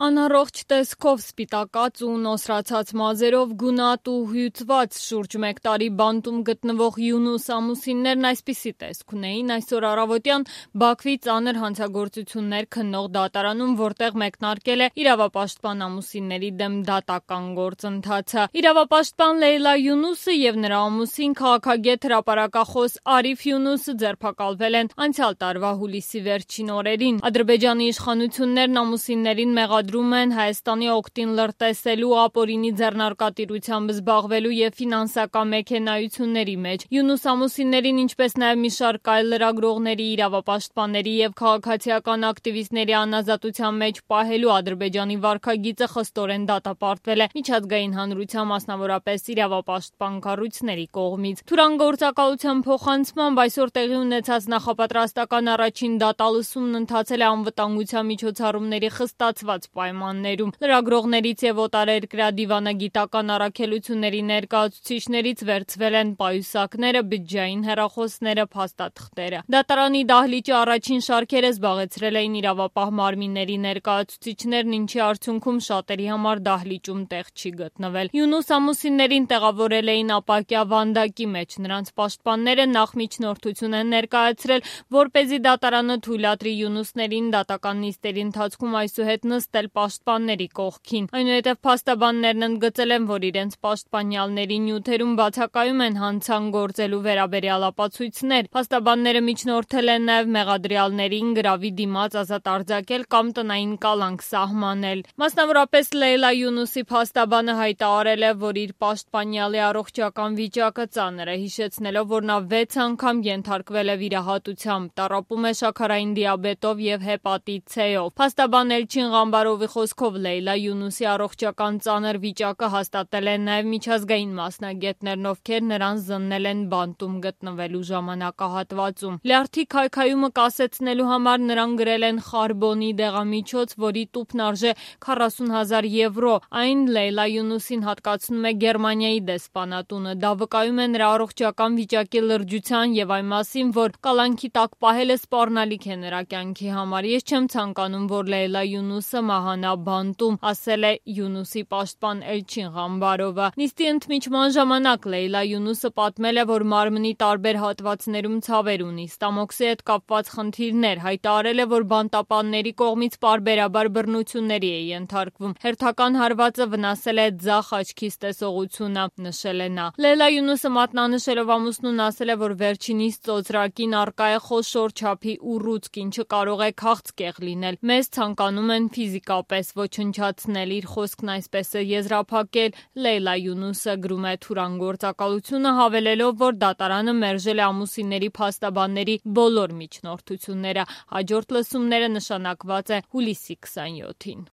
Անառողջ տեսքով սպիտակած ու նոսրացած մազերով, գունատ ու հյուծված շուրջ 1 տարի բանտում գտնվող Յունուս ամուսիններն այսպիսի տեսք ունեին այսօր առավոտյան Բաքվի ծանր հանցագործություններ քննող դատարանում, որտեղ մեկնարկել է իրավապաշտպան ամուսինների դեմ դատական գործընթացը։ Իրավապաշտպան Լեյլա Յունուսը և նրա ամուսին քաղաքագետ հրապարակախոս Արիֆ Յունուսը ձերբակալվել են անցյալ տարվա հուլիսի վերջին օրերին։ Ադրբեջանի իշխանություններն ամուսիններին մեղադրում են Հայաստանի օգտին լրտեսելու, ապօրինի ձեռնարկատիրությամբ զբաղվելու և ֆինանսական մեքենայությունների մեջ։ Յունուս ամուսիններին, ինչպես նաև մի շարք այլ լրագրողների, իրավապաշտպանների և քաղաքացիական ակտիվիստների անազատության մեջ պահելու Ադրբեջանի վարքագիծը խստորեն դատապարտվել է միջազգային հանրության, մասնավորապես իրավապաշտպան կառույցների կողմից։ Թուրան գործակալության փոխանցմամբ այսօր տեղի ունեցած նախապատրաստական առաջին դատալսումն ընթացել է անվտանգության միջոցառումների խստացված պայմաններում։ Լրագրողներից և օտարերկրյա դիվանագիտական առաքելությունների ներկայացուցիչներից վերցվել են պայուսակները, բջջային հեռախոսները, փաստաթղթերը։ Դատարանի դահլիճի առաջին շարքերը զբաղեցրել էին իրավապահ մարմինների ներկայացուցիչներն, ինչի արդյունքում շատերի համար դահլիճում տեղ չի գտնվել։ Յունուս ամուսիններին տեղավորել էին ապակյա վանդակի մեջ։ Նրանց պաշտպանները նախ միջնորդություն են ներկայացրել, որպեսզի դատարանը թույլատրի յունուսներին դատական նիստերի ընթացքում այսուհետ նստել պաշտպանների կողքին։ Այնուհետև փաստաբաններն ընդգծել են, որ իրենց պաշտպանյալների նյութերում բացակայում են հանցան գործելու վերաբերյալ ապացույցներ։ Փաստաբանները միջնորդել են նաև մեղադրյալներին գրավի դիմաց ազատ արձակել կամ տնային կալանք սահմանել։ Մասնավորապես Լեյլա Յունուսի փաստաբանը հայտարարել է, որ իր պաշտպանյալի առողջական վիճակը ծանր է, հիշեցնելով, որ նա 6 անգամ ենթարկվել է վիրահատությամբ, տառապում է շաքարային դիաբետով և հեպատիտ C-ով։ Փաստաբան Էլչին Ղամբարովի խոսքով Լեյլա Յունուսի առողջական ծանր վիճակը հաստատել են նաև միջազգային մասնագետներն, ովքեր նրան զննել են բանտում գտնվելու ժամանակահատվածում։ Լյարդի քայքայումը կասեցնելու համար նրան գրել են խարբոնի դեղամիջոց, որի տուփն արժե 40,000 եվրո։ Այն Լեյլա Յունուսին հատկացնում է Գերմանիայի դեսպանատունը։ Դա վկայում է նրա առողջական վիճակի լրջության և այն մասին, որ կալանքի տակ պահելը սպառնալիք է նրա կյանքի համար։ Ես չեմ ցանկանում, որ Լեյլա Յունուսը մահանա բանտում, ասել է Յունուսի պաշտպան Էլչին Ղամբարովը։ Նիստի ընդմիջման ժամանակ Լեյլա Յունուսը պատմել է, որ մարմնի տարբեր հատվածներում ցավեր ունի, ստամոքսի հետ կապված խնդիրներ, հայտարարել է, որ բանտապանների կողմից պարբերաբար բռնությունների է ենթարկվում։ Հերթական հարվածը վնասել է ձախ աչքիս տեսողությունը, նշել է նա։ Լեյլա Յունուսը մատնանշելով ամուսնուն ասել է, որ վերջինիս ծոծրակին առկա է խոշոր չափի ուռուցք, ինչը կարող է քաղցկեղ լինել։ Մեզ ցանկանում են ֆիզիկապես ոչնչացնել, իր խոսքն այսպես է եզրափակել Լեյլա Յունուսը, գրում է Թուրան գործակալությունը, հավելելով, որ դատարանը մերժել է ամուսինների փաստաբանների բոլոր միջնորդությունները։ Հաջորդ լսումները նշանակված է հուլիսի 27-ին։